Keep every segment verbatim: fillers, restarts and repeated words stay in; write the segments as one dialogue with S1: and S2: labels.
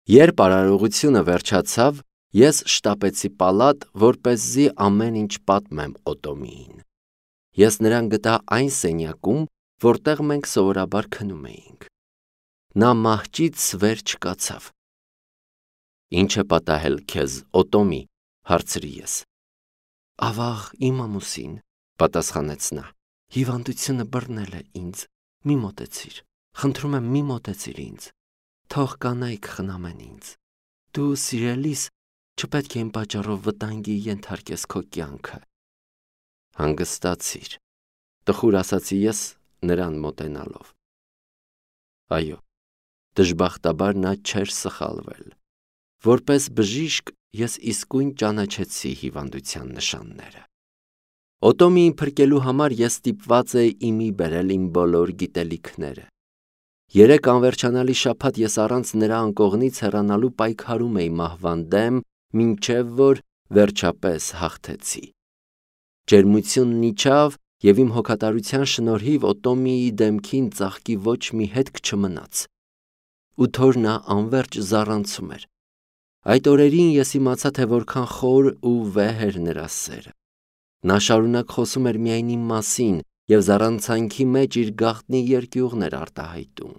S1: Երբ արարողությունը վերջացավ, ես շտապեցի պալատ, որպեսզի ամեն ինչ պատմեմ Օտոմիին։ Ես նրան գտա այն սենյակում, որտեղ մենք սովորաբար քնում էինք։ Նա մահճից վեր չկացավ։ «Ինչ է պատահել քեզ, Օտոմի», հարցրի ես։ «Ավաղ, իմ ամուսին», պատասխանեց նա, «հիվանդությունը բռնել է ինձ, մի մոտեցիր, խնդրում եմ մի մոտեցիր ինձ, թող կանայք խնամեն ինձ, դու սիրելիս չպետք է իմ պատճառով վտանգի ենթարկես քո կյանքը»։ «Հանգստացիր», տխուր ասացի ես նրան մոտենալով։ Այո, դժբախտաբար նա չէր սխալվել։ Որպես բժիշկ ես իսկույն ճանաչեցի հիվանդության նշանները։ Օտոմիին փրկելու համար ես ստիպված էի իմի բերել իմ բոլոր գիտելիքները։ Երեք անվերջանալի շաբաթ ես առանց նրա անկողնից հեռանալու պայքարում էի մահվան դեմ, մինչև որ վերջապես հաղթեցի։ Ջերմությունն իջավ, և իմ հոգատարության շնորհիվ Օտոմիի դեմքին ծաղկի ոչ մի հետք չմնաց, ու թոր նա անվերջ զառանցում էր։ Այդ օրերին ես իմացա, թե որքան խոր ու վեհ էր նրա սերը։ Նա շարունակ խոսում էր միայն իմ մասին և զառանցանքի մեջ իր գաղտնի երկյուղն էր արտահայտում։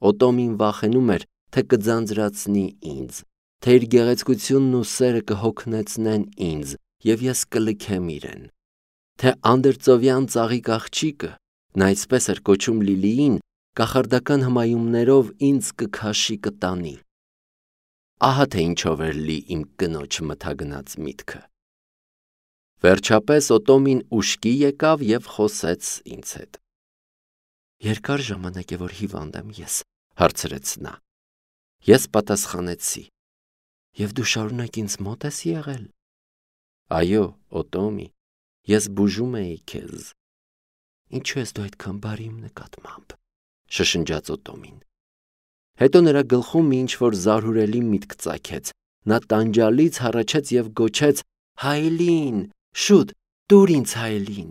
S1: Օտոմին վախենում էր, թե կձանձրացնի ինձ, թե իր գեղեցկությունն ու սերը կհոգնեցնեն ինձ, և ես կլքեմ իրեն, թե անդրծովյան ծաղիկ աղջիկը, նա այսպես էր կոչում Լիլիին, կախարդական հմայումներով ինձ կքաշի կտանի։ Ահա թե ինչով էր լի իմ կնոջ մթագնած միտքը։ Վերջապես Օտոմին ուշքի եկավ և խոսեց ինձ հետ։ «Երկար ժամանակ է, որ հիվանդ եմ ես», հարցրեց նա։ Ես պատասխանեցի. «Եվ դու շարունակ ինձ մոտ ես եղել»։ «Այո, Օտոմի, ես բուժում էի քեզ»։ «Ինչու ես դու այդքան բարի իմ նկատմամբ», շշնջաց Օտոմին։ Հետո նրա գլխում մի ինչ-որ զարհուրելի միտք ծագեց։ Նա տանջալից հառաչեց և գոչեց. «Հայելին, շուտ, տուր ինձ Հայելին»։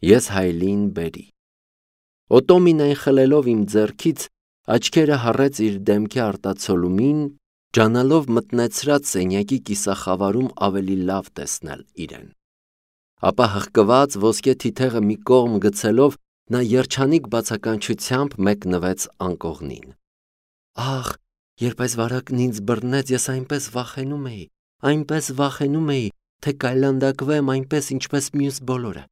S1: Ես Հայելիին բերի։ Օտոմին այն խլելով իմ ձեռքից, աչքերը հառեց իր դեմքի արտացոլումին, ջանալով մտնեցրած սենյակի կիսախավարում ավելի լավ տեսնել իրեն։ Ապա հղկված ոսկե թիթեղը մի կողմ գցելով, նա երջանիկ բացականչությամբ մեկնվեց անկողնին։ Ախ, երբ այս վարակն ինձ բռնեց, ես այնպես վախենում էի, այնպես վախենում էի, թե կայլանդակվեմ այնպես, ինչպես մյուս բոլորը։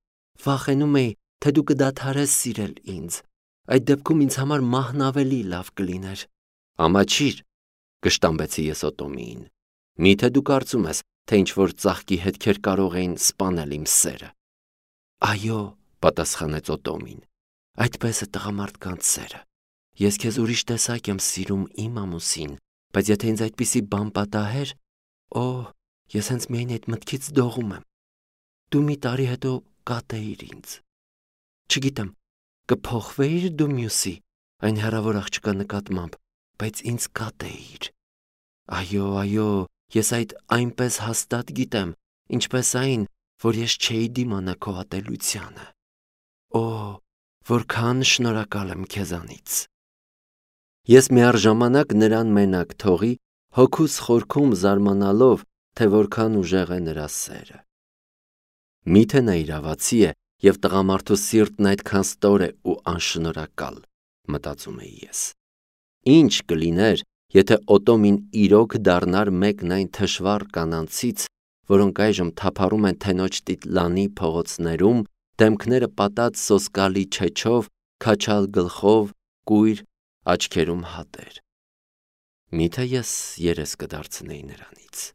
S1: Վախենում էի, թե դու կդադարես սիրել ինձ։ Այդ դեպքում ինձ համար մահն ավելի լավ կլիներ։ Ամաչիր, կշտամբեցի ես Օտոմիին։ Միթե դու կարծում ես, թե ինչ-որ ծաղկի հետքեր կարող էին սպանել իմ սերը։ Այո, պատասխանեց Օտոմին, այդպես է տղամարդկանց սերը։ Ես քեզ ուրիշ տեսակ եմ սիրում, իմ ամուսին, բայց եթե ինձ այդպիսի բան պատահեր, օ, ես հենց միայն այդ մտքից դողում եմ։ Դու մի տարի հետո կատեիր ինձ։ Չգիտեմ, կփոխվեիր դու մյուսի, այն հեռավոր աղջկա նկատմամբ, բայց ինձ կատեիր։ Այո, այո, ես այդ այնպես հաստատ գիտեմ, ինչպես այն, որ ես չէի դիմանա քո ատելությանը։ Օ, որքան շնորհակալ եմ քեզանից։ Ես միառժամանակ նրան մենակ թողի, հոգուս խորքում զարմանալով, թե որքան ուժեղ է նրա սերը։ Միթե նա իրավացի է, և տղամարդու սիրտն այդքան ստոր է ու անշնորհակալ, մտածում էի ես։ Ինչ կլիներ, եթե Օտոմին իրոք դառնար մեկն այն թշվառ կանանցից, որոնք այժմ թափառում են Թենոջ Տիտլանի փողոցներում, դեմքները պատած սոսկալի չեչով, քաչալ գլխով, կույր, աչքերում հատեր։ Միթե ես երես կդարձնեի նրանից։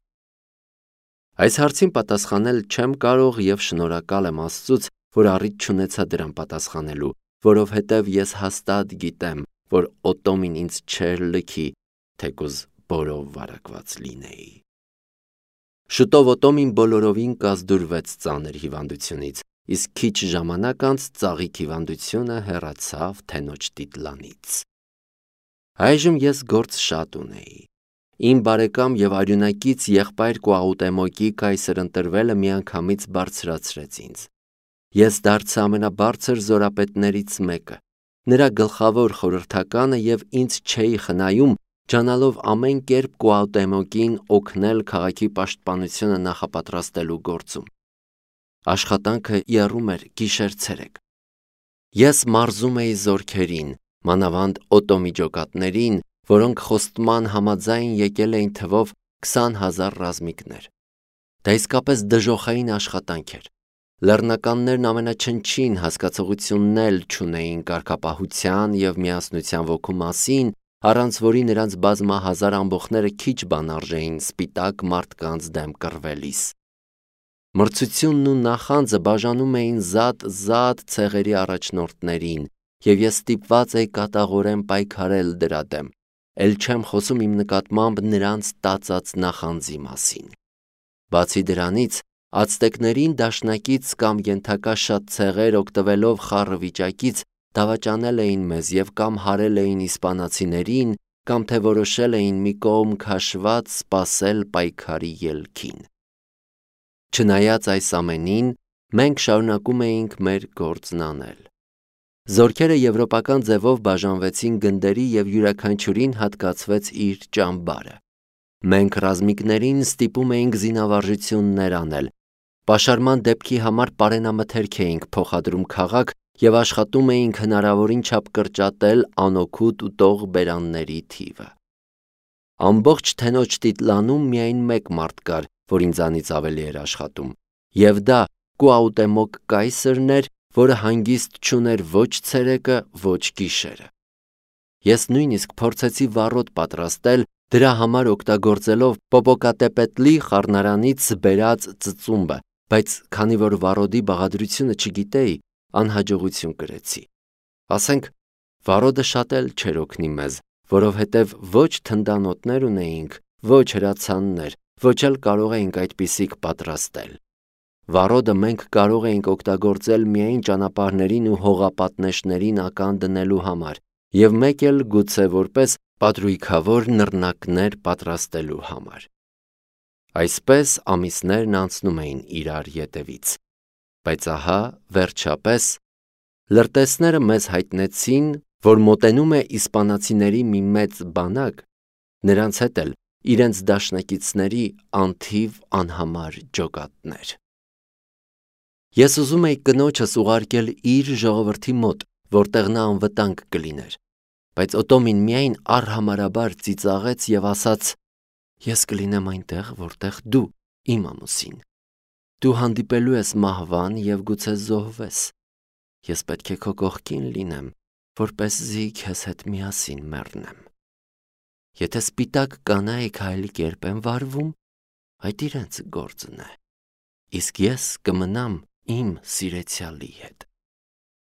S1: Այս հարցին պատասխանել չեմ կարող և շնորհակալ եմ Աստծուց, որ առիթ չունեցա դրան պատասխանելու, որովհետև ես հաստատ գիտեմ, որ Օտոմին ինձ չէր լքի, թեկուզ բորով վարակված լինեի։ Շուտով Օտոմին բոլորովին կազդուրվեց ծանր հիվանդությունից, իսկ քիչ ժամանակ անց ծաղիկ հիվանդությունը հեռացավ Թենոջ Տիտլանից։ Այժմ ես գործ շատ ունեի։ Իմ բարեկամ և արյունակից եղբայր Կուաուտեմոկի կայսր ընտրվելը միանգամից բարձրացրեց ինձ։ Ես դարձա ամենաբարձր զորապետներից մեկը, նրա գլխավոր խորհրդականը և ինձ չէի խնայում, ջանալով ամեն կերպ Կուաուտեմոկին օգնել քաղաքի պաշտպանությունը նախապատրաստելու գործում։ Աշխատանքը եռում էր գիշեր-ցերեկ։ Ես մարզում էի զորքերին, մանավանդ օտոմիջոկատներին, որոնք խոստման համաձայն եկել էին թվով քսան հազար ռազմիկներ։ Դա իսկապես դժոխային աշխատանք էր։ Լեռնականներն ամենաչնչին հասկացողությունն էլ չունեին կարգապահության և միասնության ոգու մասին, առանց որի նրանց բազմահազար ամբոխները քիչ բան արժեին սպիտակ մարդկանց դեմ կռվելիս։ Մրցությունն ու նախանձը բաժանում էին զատ-զատ ցեղերի առաջնորդներին, և ես ստիպված էի կատաղորեն պայքարել դրա դեմ, էլ չեմ խոսում իմ նկատմամբ նրանց տածած նախանձի մասին։ Բացի դրանից, ացտեկներին դաշնակից կամ ենթակա շատ ցեղեր օգտվելով խառը վիճակից դավաճանել էին մեզ և կամ հարել էին իսպանացիներին, կամ թե որոշել էին մի կողմ քաշված սպասել պայքարի ելքին։ Չնայած այս ամենին, մենք շարունակում էինք մեր գործն անել։ Զորքերը եվրոպական ձևով բաժանվեցին գնդերի և յուրաքանչյուրին հատկացվեց իր ճամբարը։ Մենք ռազմիկներին ստիպում էինք զինավարժություններ անել, պաշարման դեպքի համար պարենամթերք էինք փոխադրում քաղաք և աշխատում էինք հնարավորին չափ կրճատել անօգուտ ուտող բերանների թիվը։ Ամբողջ Թենոջ Տիտլանում միայն մեկ մարդ կար, որ ինձանից ավելի էր աշխատում, և դա Կուաուտեմոկ կայսրն էր, որը հանգիստ չուներ ոչ ցերեկը, ոչ գիշերը։ Ես նույնիսկ փորձեցի վառոդ պատրաստել, դրա համար օգտագործելով Պոպոկատեպետլի խառնարանից բերած ծծումբը, բայց քանի որ վառոդի բաղադրությունը չգիտեի, անհաջողություն կրեցի։ Ասենք, վառոդը շատ էլ չէր օգնի մեզ, որովհետև ոչ թնդանոթներ ունեինք, ոչ հրացաններ, ոչ էլ կարող էինք այդպիսիք պատրաստել։ Վառոդը մենք կարող էինք օգտագործել միայն ճանապարհներին ու հողապատնեշներին ական դնելու համար և մեկ էլ գուցե որպես պատրույգավոր նռնակներ պատրաստելու համար։ Այսպես ամիսներն անցնում էին իրար ետևից։ Բայց ահա, վերջապես, լրտեսները մեզ հայտնեցին, որ մոտենում է իսպանացիների մի մեծ բանակ, նրանց հետ էլ իրենց դաշնակիցների անթիվ անհամար ջոկատներ։ Ես ուզում էի կնոջս ուղարկել իր ժողովրդի մոտ, որտեղ նա անվտանգ կլիներ, բայց Օտոմին միայն առհամարաբար ծիծաղեց և ասաց. «Ես կլինեմ այնտեղ, որտեղ դու, իմ ամուսին։ Դու հանդիպելու ես մահվան և գուցե զոհվես։ Ես պետք է քո կողքին լինեմ, որպեսզի քեզ հետ միասին մեռնեմ։ Եթե սպիտակ կանայք այլ կերպ են վարվում, այդ իրենց գործն է, իսկ ես կմնամ իմ սիրեցյալի հետ»։